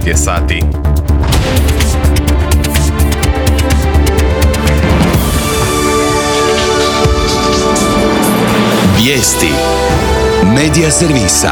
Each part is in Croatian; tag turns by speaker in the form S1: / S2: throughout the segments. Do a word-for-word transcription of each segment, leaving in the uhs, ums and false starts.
S1: devet je sati.
S2: Vijesti Medija servisa.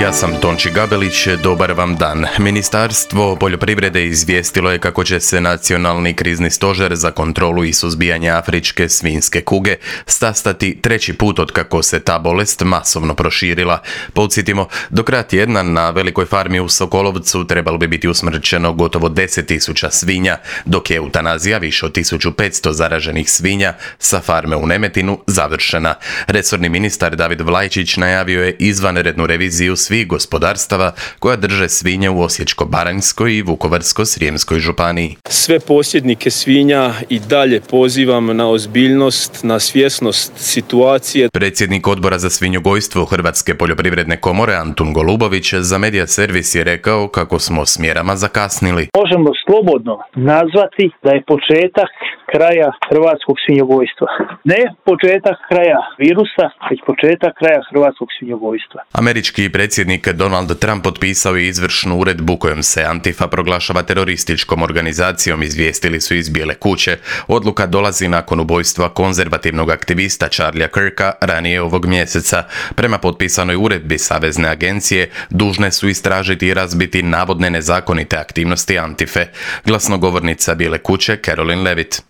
S1: Ja sam Tonči Gabelić, dobar vam dan. Ministarstvo poljoprivrede izvijestilo je kako će se Nacionalni krizni stožer za kontrolu i suzbijanje afričke svinjske kuge sastati treći put otkako se ta bolest masovno proširila. Podsjetimo, do kraja tjedna na velikoj farmi u Sokolovcu trebalo bi biti usmrćeno gotovo deset tisuća svinja, dok je eutanazija više od tisuću petsto zaraženih svinja sa farme u Nemetinu završena. Resorni ministar David Vlajčić najavio je izvanrednu reviziju svih gospodarstava koja drže svinje u Osječko-baranjskoj i Vukovarsko-srijemskoj županiji.
S3: Sve posjednike svinja i dalje pozivam na ozbiljnost, na svjesnost situacije.
S1: Predsjednik odbora za svinjogojstvo Hrvatske poljoprivredne komore Antun Golubović za Medija servis je rekao kako smo s mjerama zakasnili.
S4: Možemo slobodno nazvati da je početak kraja hrvatskog svinjogojstva. Ne početak kraja virusa, već početak kraja hrvatskog svinjogojstva.
S1: Američki predsjednik Donald Trump potpisao je izvršnu uredbu kojom se Antifa proglašava terorističkom organizacijom, izvijestili su iz Bijele kuće. Odluka dolazi nakon ubojstva konzervativnog aktivista Charlie'a Kirka ranije ovog mjeseca. Prema potpisanoj uredbi Savezne agencije dužne su istražiti i razbiti navodne nezakonite aktivnosti Antife. Glasnogovornica Bijele kuće Caroline Levitt.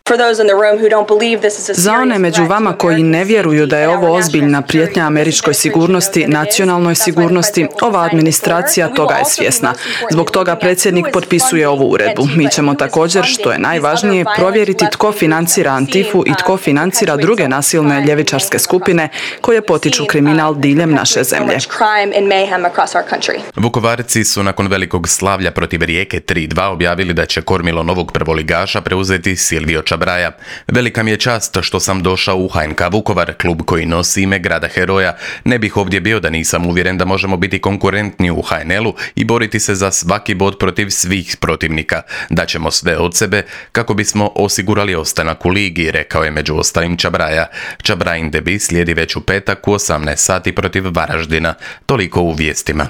S5: Za one među vama koji ne vjeruju da je ovo ozbiljna prijetnja američkoj sigurnosti, nacionalnoj sigurnosti, ova administracija toga je svjesna. Zbog toga predsjednik potpisuje ovu uredbu. Mi ćemo također, što je najvažnije, provjeriti tko financira Antifu i tko financira druge nasilne ljevičarske skupine koje potiču kriminal diljem naše zemlje.
S1: Vukovarci su nakon velikog slavlja protiv Rijeke tri dva objavili da će kormilo novog prvoligaša preuzeti Silvio Čabraja. Velika mi je čast što sam došao u H N K Vukovar, klub koji nosi ime grada heroja. Ne bih ovdje bio da nisam uvjeren da možemo biti konkurentni u H N L-u i boriti se za svaki bod protiv svih protivnika. Daćemo sve od sebe kako bismo osigurali ostanak u ligi, rekao je među ostalim Čabraja. Čabrajin debi slijedi već u petak u osamnaest sati protiv Varaždina. Toliko u vijestima.